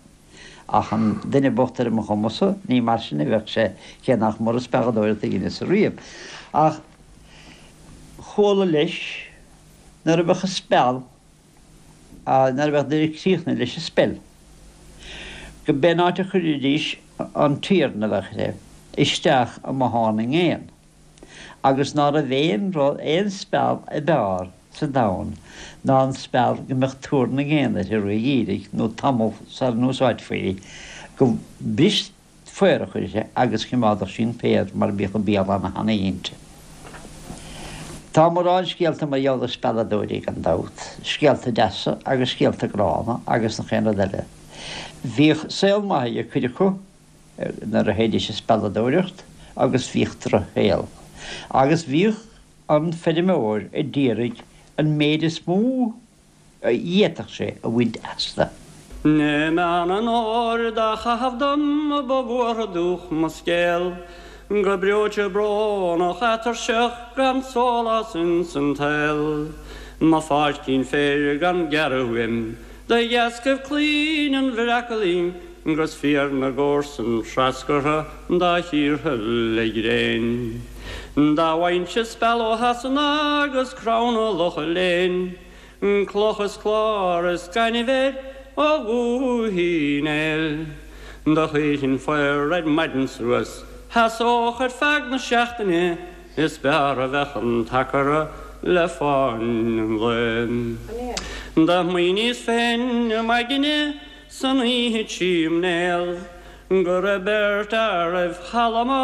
Ach an duine bocht ar mo chuma-sa, ní mar sin a bheadh sé, cé nach mór an spealadóireacht a dheineas-sa riamh. Ach chuala leis nuair a bheadh an speal, nuair a bheadh duine críochnaithe leis an speil, go b'é an áit a chuiridís an t-iarann a bheadh air isteach i mbothán na ngéan. agus ná raibh aon rud, aon speal ab fhearr sa domhan ná an speal go mbeadh tuar na ngéan uirthi roimh gheimhreadh nó tamall sara n-úsáidfí í, go bris faorach uirthi agus choimeádfadh sí an féar mar bhíodh an béal ana-thanaí inti. Tá mórán scéalta mar gheall ar spealadóirí gan dabht, scéalta deasa agus scéalta gránna agus nach aon rud eile. Bhíodh saol maith ag cuid acu. nuair a théidís ag spealadóireacht agus bhíodh drochshaol. Agus bhíodh an feirmeoir a d'iarraidh an méid is mó a d'fhéadfadh sé a bhaint astu. I Meán an Fhómhair dá chaitheamh dom ba bhuartha dúch mo scéal, Go breoite brónach atuirseach gan sólás ins an tsaol, Mo pháircín féir gan gearradh uaim de dheascaibh claoinn an bhreacailín 'Gus féar na gcomharsan treascartha dá chíortha le gréin. Dá bhfaighinnse speal ó Shasana agus crann ó Locha Léin, Cloch is clár is gaineamh air ó Dhúiche Uí Néill. Do chuirfinn faor ar maidin suas, sheasódh ar feadh na seachtaine, Is b'fhearr a bheadh an t-acra le fáinne an lae. Do smaoiníos féin i m'aigne San oíche tchím néal go raibh beirt fhear roimh chalma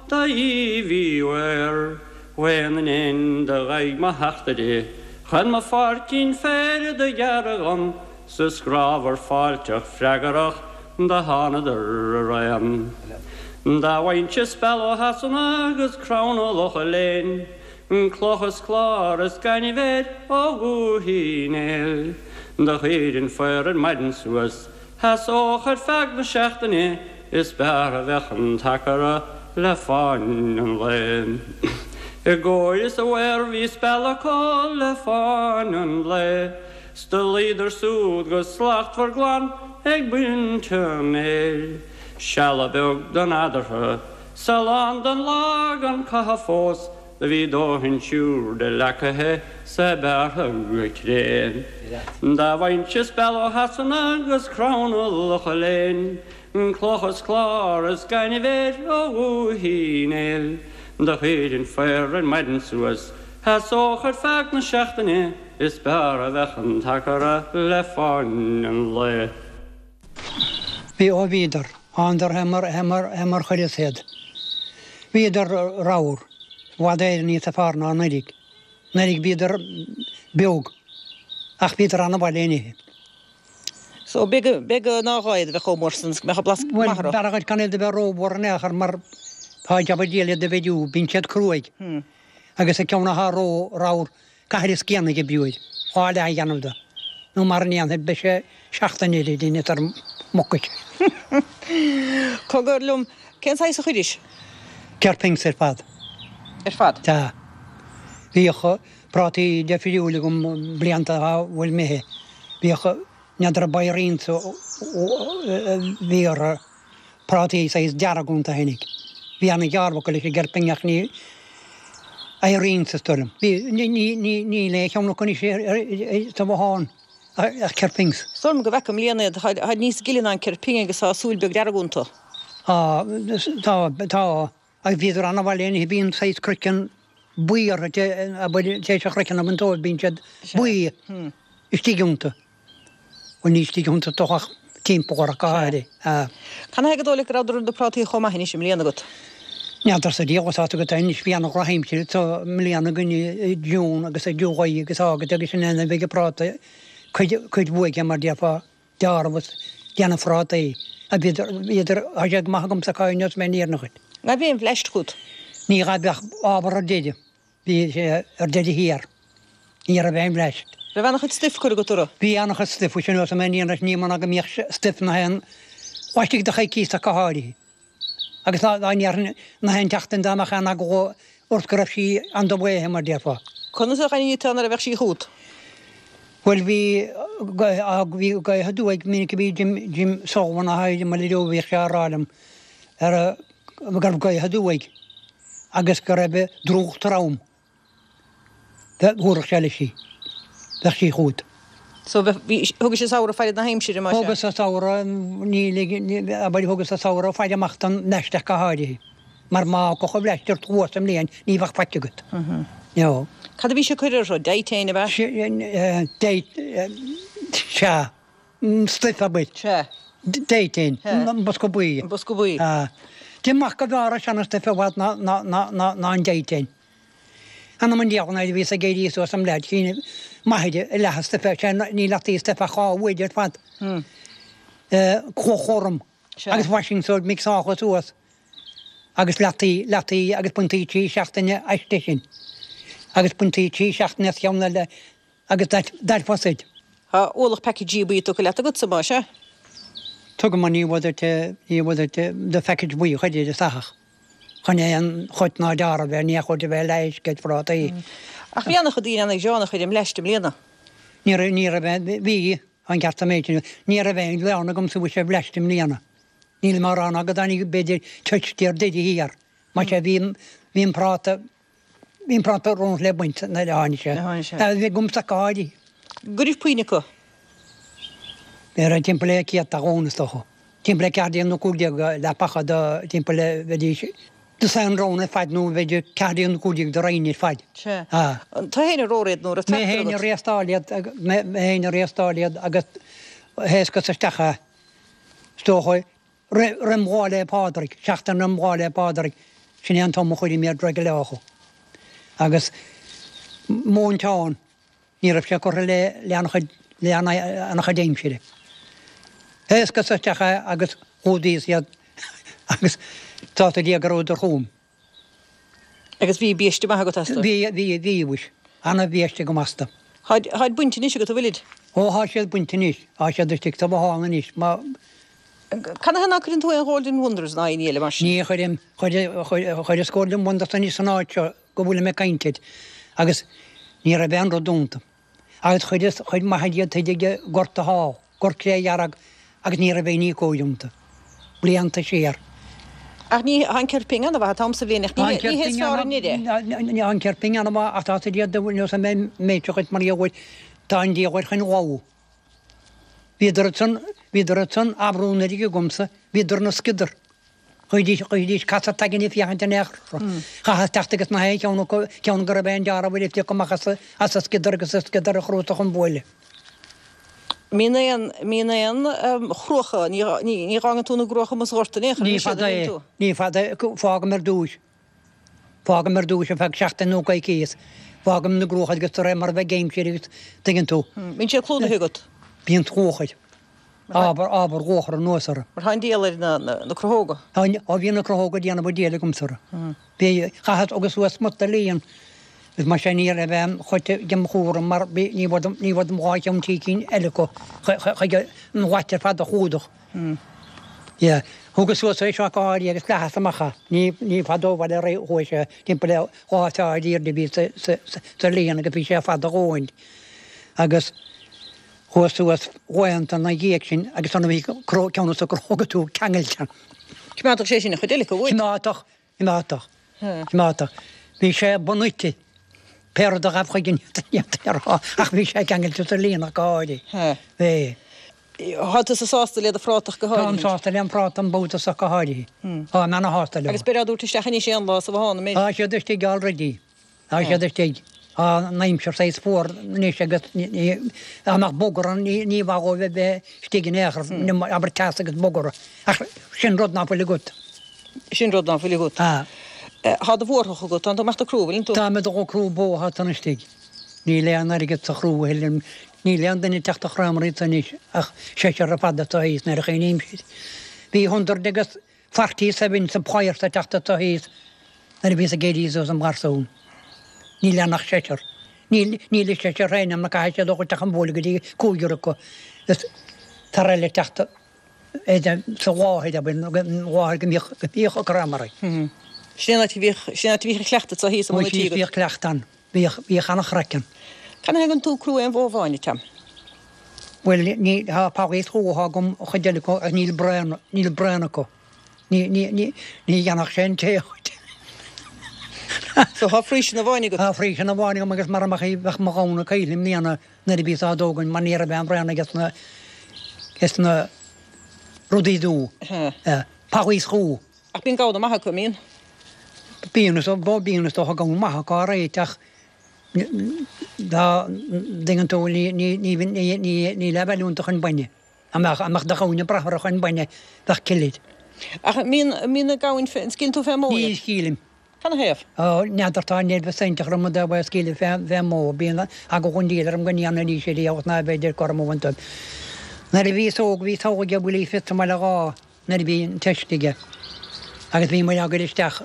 do Aoibh Uí Mhaoir Mhaoth na n-éan do ghaibh mo theachtaire chun mo pháircín féir do ghearradh dhom 's is grámhar fáilteach freagarach do thánadar araon. Dá bhfaighinnse speal ó Shasana agus crann ó Locha Léin Cloch is clár is gaineamh air ó Dhúiche Uí Néill. Do chuirfinn faor ar maidin suas, sheasódh ar feadh na seachtaine, is b'fhearr a bheadh an t-acra le fáinne an lae. I gcóir is a mhaor bhí speal acu le fáinne an lae, 's do luíodar súd go slachtmhar glan ag baint an fhéir. Seala beag d'fhan eadarthu. 'S a lán den lá gan caitheamh fós do bhí dóthain siúrde leacaithe 's é bearrtha go cré. Dá bhfaighinnse speal ó Shasana 'gus crann ó Locha Léin, cloch is clár is gaineamh air ó Dhúiche Uí Néill, do chuirfinn faor ar maidin suas, sheasódh ar feadh na seachtaine, is b'fhearr a bheadh an t-acra le fáinne an lae. Bhí, ó bhíodar. Thánadar fé mar, fé mar, fé mar chuireas iad. Bhíodar ramhar. I bhfad Éireann níosa fearr ná anuiridh. Anuiridh bhíodar beag. Ach bhíodar ana-mhaith le n-ithe. So, b'fhéidir, b'fhéidir nár ghá iad a bheith chomh mór san, 's go mbeadh a blas Bhuel, maith orthu. b'fhearra dhuit gan iad a bheith ró-mhór in aon chor mar tá jab an diabhail iad a mheidiú, bíonn siad cruaidh. Agus an ceann athá ró-ramhar Caithfir an scian a oibriú air, dhá leath a dhéanamh de, nó mara ndéanfair beidh sé seachtain eile ag déanamh tar mucais. Cogar liom, cén saghas a chuiris? Kerpings ar fad. Ar fad? Sea. Bhíodh prátaí deifriúil agam blianta dá bhfuil imithe. Bhíodh, n'fheadar ab Irene a bhí orthu. Prátaí saghas dearg iontu a tháinig. Bhí ana dheáramh acu leis an gCerping ach ní Irene is dóigh liom. Bhí, ní, ní, ní, níl aon cheann acu anois sa bhothán ach Kerpings. Is dóigh liom go bhfeaca i mbliana iad, táid níos gile ná an Kerping agus tá súil beag dearg iontu. Tá, tá, tá. Agus bhíodar ana-mhaith le n-ithe, bíonn saghas craiceann. buí orthu, abair, tar éis an chraiceann a bhaint dóibh, bíonn siad buí istigh iontu. Bhuel, ní istigh iontu ach timpeall orthu go háirithe. Canathaobh gur dóigh leat go rabhadar na prátaí chomh maith anois i mbliana agat? N'fheadarsa Dia dhuit, tá agat anois, bhí ana-dhrochaimsir anso i mbliana againn i June agus i July agus August agus sin é nuair a bheidh an práta cuid, cuid bhuaidh mar déarfá, dearbh is déanamh phrátaí. A bhíodar, bhíodar, tá sé go maith agamsa acu inniu is mé an fhírinne dhuit. An raibh aon bhleaist chugat? Ní raibh ach ábhar ar deireadh. Bhí sé ar deireadh thiar. Ní raibh aon bhleaist. Raibh ana-chuid stuif curtha agat orthu? Bhí ana-chuid stuif, sin is mé an fhírinne ní mar ná go mbíodh stuif na haon laistigh de choicíos ach go háirithe. Agus dá ndéarfainn na haon tseachtain dá mbeadh aon eagla ort go raibh sí on the way mar déarfá. Conas a dh'aithnigh tú nuair a bheadh sí chugat? Bhuel bhí bhí gaoth aduaidh minic a bhí Jim Jim Sullivan a thaidhg i mBaile Leo bhíodh sé á rá liom ar go raibh gaoth aduaidh agus go raibh drúcht trom. Thabharfadh sé leis í. Bheadh sí chugat. So bheadh, bhí, thugais an samhradh faire na haimsire, más ea? Thugas an samhradh, ní lig, abair, thugas an samhradh faire amach don mbleaist ach go háirithe. Mar má thiocfadh an bhleaist ort thuas i mbliain, ní bheadh faic agat. No. Cad a bhís ag cur orthu? Dithane, ab ea? Sea. Stuif, abair. Sea. Dithane. An bosca buí. An bosca buí. Deirim go mb'fhearr an seana-stuif i bhfad ná an Dithane. Anam an diabhail nuair a bhíos ag éirí suas im leaid chinn m'athair i leath an stuif sé ní leataí stuif ach 2 uair ar fad. Cloch ghorm agus washing soda mixáilte suas agus leataí leataí agus baintí 3 seachtaine aisti sin agus baintí 3 seachtaine as cheann eile Agus that was it. Tá ualach packageí buí tugtha leat agatsa, más ea? Tugaim an ní bhfuil ní bhfuil do phackage buí a chuir ar an soitheach chun aon choit ná deáramh air, ní chuid a bheith leisce ag phrátaí. Ach bhí an-chuid daoine ana-ghránna ar an mbleaist i mbliana. Ní raibh, ní raibh aon, bhí, an ceart an méid sin, ní raibh aon ghleann agamsa mhuise ar bhleaist i mbliana. Nílim á rá ná go dtáinig b'fhéidir toit ar deireadh thiar. Más ea bhí, bhí an práta, Bhí an práta romhat le baint nuair a tháinig sé. Bhí agamsa go háirithe. Go raibh puinn acu. Bhí raibh timpeall le céadta dhún is dócha. Timpeall le 14 nó 15 leapacha do timpeall le bheidís do san roinn ar fad nó b'fhéidir 14 nó 15 do roinn ar fad. Sea. Tú féin a romhair iad nó raibh tractor agat? Mé féin a réastáil iad, mé féin a réastáil iad agus thaoscas isteach é. Is dócha Roim Lá 'le Pádraig, seachtain roim Lá 'le Pádraig, sin é an t-am a chuirim iad réidh leo. Agus móinteán, ní raibh sé curtha le le an-chuid le an-chuid aimsire. Thaoscas isteach é agus chlúdaíos iad agus tá a Dhia go rabhadar chugam. Agus bhí biaiste maith agat astu? Bhí, bhí, bhí, mhuis. Ana-bhiaiste agam astu. Tháid, tháid bainte anois agat, an bhfuilid? Ó, thá siad bainte anois. Thá siad istigh sa bhothán anois. Má. Canathaobh ná cuireann tú aon Golden Wonders ná aon ní eile mar sin? Ní chuirim. Chuir, chuir, chuireas Golden Wonders anois san áit seo go bhfuilim ag caint duit agus ní raibh aon rud iontu. Agus chuireas chuid maith díobh istigh i ngort thall, gort clédhearg, agus ní raibh aon ní cóir iontu. Blianta siar. Ach ní, tá an cirping ana-mhaith an t-am sa bhliain ach ní hé, ní hé is fearr an ire. Tá an cirping ana-mhaith ach tá siad iad nós an méid seo chuid mar gheall air, tá an diabhal air chun lobhadh. Bhíodar ansan, bhíodar ansan, abrú an uilig agamsa, bhíodar ina sciodar. Chuidís, chuidís casadh t'aigne ag féachaint in aon chor. Chaitheas teacht agus na haon cheann acu, ceann go raibh aon deáramh ar a phiocadh amach as a, as a sciodar agus a sciodar a chrúsach an bhuaile. Mbíonn aon, mbíonn aon chruacha, ní, ní, ní dh'fhágann tú na gcruacha amuigh sa ghort in aon chor, Ní fada é, ní fada é, fágaim ar dtúis. Fágaim ar dtúis ar feadh seachtain nó coicíos. Fágaim na gcruacha agus de réir mar a bheidh aimsir agus tuigeann tú. Bíonn siad clúdaithe agat. Bíonn luachair. Ábhar, ábhar luachair anuas orthu. Mar tá an diabhal ar na, na, na cruthóga. Tá, ó bhí na cruthóga ag déanamh an diabhail agamsa orthu. Bhí, chaitheas agus suas smut a líon. Is mar sin ní raibh aon chuid dem chúram mar bhí, ní bhfuair, ní bhfuair dom dhá cheann trí cinn eile acu chuig an ghlait ar fad a chlúdach. Yeah. Thugas suas é seo go háirithe agus leathas amach é. Ní, ní fada ó bhaile ar aghaidh chuaigh sé timpeall le dhá troigh airde a bhí sa, sa, sa líon agus bhí sé fada a dhóthain. Agus chuas suas laethanta ina dhiaidh sin agus ann a bhí cró, ceann dos na cruthóga tú ceangailte. Choimeádfadh sé sin an chuid eile acu uait. Choimeádfadh, Choimeádfadh. Choimeádfadh. Bhí sé bunaite. Pé rud a ghabh chuige ní fhéadfainn a rá ach bhí sé ceangailte sa líon ach go háirithe. Bhí. Tá tusa sásta le do phrátach go háirithe. Táim sásta lem phráta an babhta so go háirithe. Táim ana-shásta leo. Agus beir á dtabhairt isteach anois aon lá sa bhothán, an mbeidh? Tá siad istigh already. Tá siad istigh. Tá an aimsir saghas fuar anois agus dá mbeadh bogadh orthu ní mhaith dhóibh a bheith istigh in aon chor, abair teas agus bogadh orthu. Ach sin rud ná fuil agat. Sin rud ná fuil agat. Tá. Tá do bhórthach agat, tánn tú ag imeacht ag crú, bhfuileann tú? Táim ag dul ag crú bó atá san istigh. Níl aon airgead sa chrú a thuilleadh. Níl aon duine ag teacht a chrámar iad anois ach seisear ar fad atá thíos nuair a chuimhnímse. Bhí hundred agus 47 sa bpáirc ag teacht anseo thíos nuair a bhíos ag éirí suas im gharsún. Níl ann ach seisear. Níl, níl an seisear féin ann mar caithfidh siad a dhul isteach an bhuaile go dtí cúigear acu is fear eile ag teacht sa láthair, abair, an láthair go mbíodh, go mbíodh an crámar. Sin é an áit a bhíodh, sin é an áit a bhíodh an cleachtadh anseo thíos i mbun an tí agat. Bhíodh cleachtadh ann. Bhíodh, bhíodh an-chraic ann. Canathaobh a dtugann tú crú aon bhó amháin, a Tom? Bhuel, ní, tá praghas atá agam an chuid eile acu ach níl braon, níl braon acu. Ní, ní, ní, ní dhéanfadh sé an tae dhuit. So tá Friesian amháin agat? Tá Friesian amháin agam agus mara mbeadh í, bheadh mo ghamhna caoll i mbliana nuair a bhíos á dtógaint mar ní raibh aon bhraon aige sna, sna rudaí dubha. Praghas chú. Ach bíonn gamhna maith acu, an mbíonn? Bíonn, is dócha, bíonn is dócha gamhna maith acu alright ach dá dtuigeann tú ní, ní, ní, ní, ní, níl a bhfeiliúint chun bainne. Dá mbeadh, dá mbeadh do ghamhain ag brath orthu chun bainne, bheadh cil air. Ach an mbíonn, an mbíonn na gamhain fé, an scaoileann tú fén mbó Ní iad? scaoilim. Canathaobh? Ó, n'fheadar, tá nervous iontach orm i dtaobh é a scaoileadh fé, fén mbó. Bíonn eagla an diabhail orm go ndéanfaidís é agus ná bheidh orm a bhaint dóibh. Nuair a bhíos óg bhí togha aige Willie Fitz i mBaile Dhá. nuair a bhí an teist aige agus bhí muid á gcur isteach,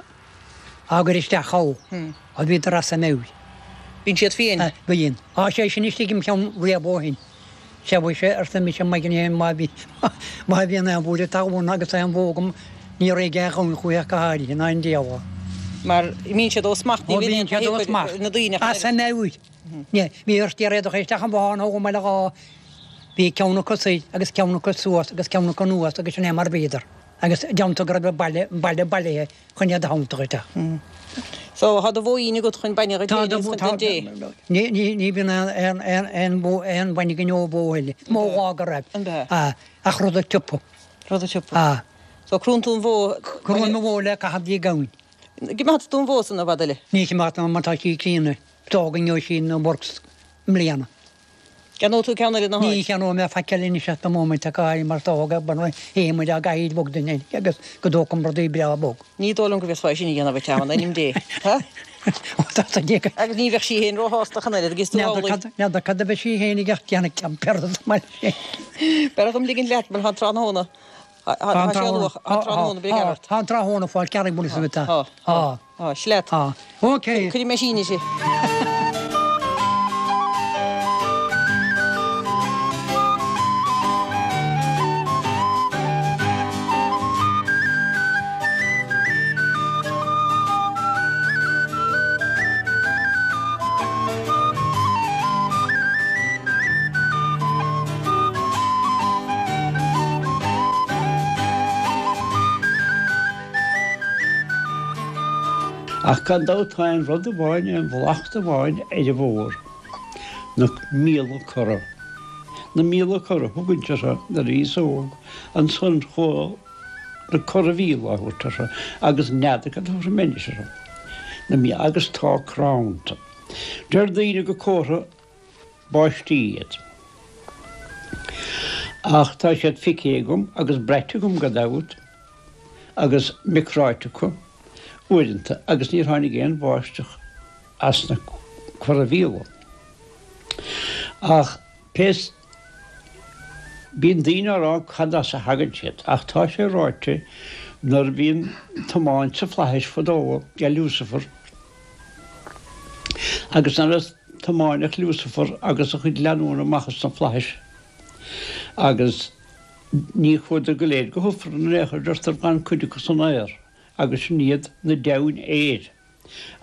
á gcur isteach ann, ó bhíodar as a meabhair. Bíonn siad fiain. Bíonn. Tá sé sin istigh im cheann riamh ó shin. Sea mhuise, arsa mise maidin éigin, má bhí, má bhíonn aon bhuaile talún agus aon bhó agam, ní raghaidh aon ghamhain chúithi ach go háirithe, ná an diabhal. Mar bíonn siad ó smacht, ní bhíonn siad ó smacht. Na daoine As a meabhair. Ní, bhí ort iarraidh isteach an bhothán ó mBaile Dhá Bhí ceann acu soir agus ceann acu suas agus ceann acu anuas agus sin é mar bhíodar. Agus déanta go raibh an baile, an baile bailithe chun iad a thiontú isteach. So, tá do bhóín agat chun bainne dhuit féin agus chun don dé? Ní, ní, ní bhíonn aon, aon, aon, aon bhó, aon bhainne againn ó bhó a thuilleadh. Is mó lá go raibh. An b'ea? Ah, ach rud a tsiopa. Rud a tsiopa. Ah. So, crúnn tú an bhó. Crúim an bhó le caitheamh dtí gamhain. Coimeádfaidh tú an bhó san i bhfad eile? Ní choimeádfaidh mar tá sí críonna. D'fhág an sí na works i mbliana. Ceannóidh tú ceann eile ina háit? Ní cheannóidh mé faic eile anois at the moment ach áirithe mar d'fhág é muid á gcaithfidh bog duine agus go dtógfainn rudaí breá bog. Ní dóigh liom go bhféadfá é sin a dhéanamh a Tom, in ainm Dé. Ha? Ó tá sa déag. Agus ní bheadh sí féin róshásta ach an oiread agus tú amhlaidh. N'fheadar cad a bheadh sí féin ag déanamh ceann pearsa sa mbaile sin. B'fhearr dom ligint leat mar tá an tráthnóna. Tá sé luath, tá an tráthnóna, beidh ort. Tá an tráthnóna fáil cearraigh buille sa bhita. Tá, tá, tá, sleat. Tá. Ok. Cuirfidh mé síneadh si. Ach gan dabht tá aon rud amháin, aon bhlacht amháin ar an bhfómhar, na míola corra. Na míola corra, thugainnse orthu nuair a bhíos óg, ansan chuaigh na corra-mhíola á thabhairt orthu agus n'fheadar cad a thabharfaidh mé anois orthu. Na míola, agus tá crann iontu. Deir daoine gur comhartha báistí iad. Ach tá siad feicthe agam agus braite agam gan dabht agus mé cráite acu uaireanta agus níor tháinig aon bháisteach as na corra-mhíola. Ach pé bíonn daoine á rá cad as a thagann siad ach tá sé ráite nuair a bhí an tiomáint sa flaithis fadó ag Lucifer agus nuair a tiomáineadh Lucifer agus a chuid leanúna amach as na flaithis agus ní chuadar go léir go hIfreann in aon chor, deirtear d'fhan cuid acu san aer agus sin iad na deamhain aeir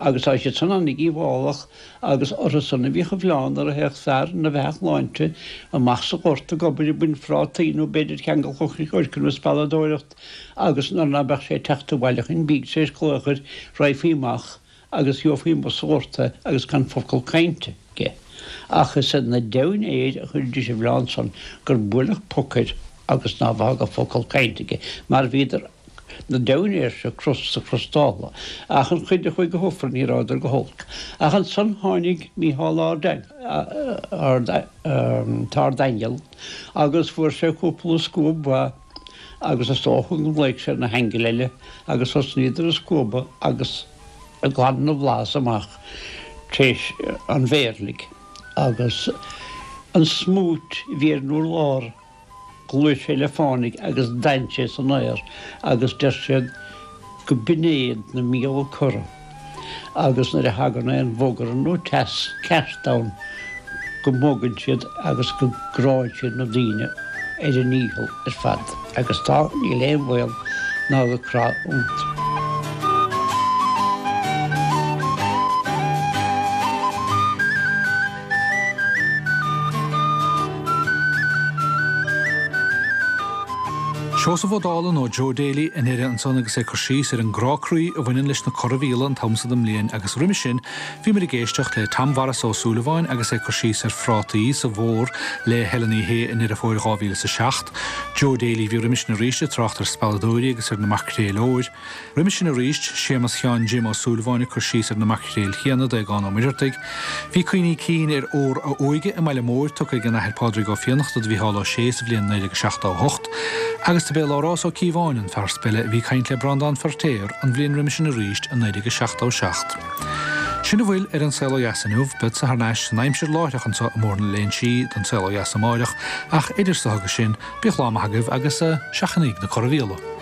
agus tá siad san ana-dhíobhálach agus orthu san a bhíodh an mhilleán nuair a théadh fear ina bheathach shláinte amach sa ghort ag obair ag baint phrátaí nó b'fhéidir ag ceangal coirce nó ag spealadóireacht agus nuair ná beadh sé ag teacht abhaile chun bídh tar éis glaoch air raghfaí amach agus gheofaí amuigh sa ghort é agus gan focal cainte aige. Ach is ar na deamhain aeir a chuiridís an mhilleán san gur buaileadh poc air agus ná bheadh focal cainte aige, mar bhíodar. Na deimhnéir seo crosta crostála, ach an chuid a chuaigh go hufrann ní rabhadar go holc. Ach ansan tháinig Mícheál an tArdaingeal agus fuair sé cúpla scuab mhaith agus is dócha go nglaoigh sé na haingil eile agus thosnaíodar ag scuabadh agus ag glanadh na bhflaitheas amach tar éis an mhéirligh agus an smúit a bhí ar an urlár Ghluais sé le fánaidh agus d'fhan sé san aer agus deir siad go b'in iad na míola corra agus nuair a thagann aon bhogar nó teas ceart ann go mbogann siad agus go gcránn siad na daoine ar a ndícheall ar fad agus tá, níl aon bhaol ná go crá iontu. Seosamh Ó Dálaigh nó Joe Daly i ndeireadh ansan agus é ag cur síos ar an gcrá croí a bhaineann leis na corramhíola an t-am so den mbliain agus roimis sin bhí muid ag éisteacht le Tom Mhaurice Ó Súilleabháin agus é ag cur síos ar phrátaí sa Bhór le Helen Uí Shé i nDeireadh Fómhair 2007. Joe Daly a bhí roimis sin arís ag trácht ar spealadóirí agus ar na maicréil óir. Roimis sin arís, Séamus Sheáin Jim Ó Súilleabháin ag cur síos ar na maicréil chéanna d'Aogán Ó Muircheartaigh. Bhí cuimhní cinn ar ór a óige i mBaile Móir tugtha ag an Athair Pádraig Ó Fiannachta do Mhícheál Ó Sé sa bhliain 1978 agus dob é Labhrás Ó Cíobháin an fear speile a bhí ag caint le Breandán Feirtéar an bhliain roimis sin arís i 1977. Sin a bhfuil ar An Saol Ó Dheas inniu. Beadsa thar n-ais san aimsir láithreach anso i mBóthar na Léinsí don Saol Ó Dheas amáireach ach idir so agus sin, bíodh lá maith agaibh agus seachnaíg na corramhíola.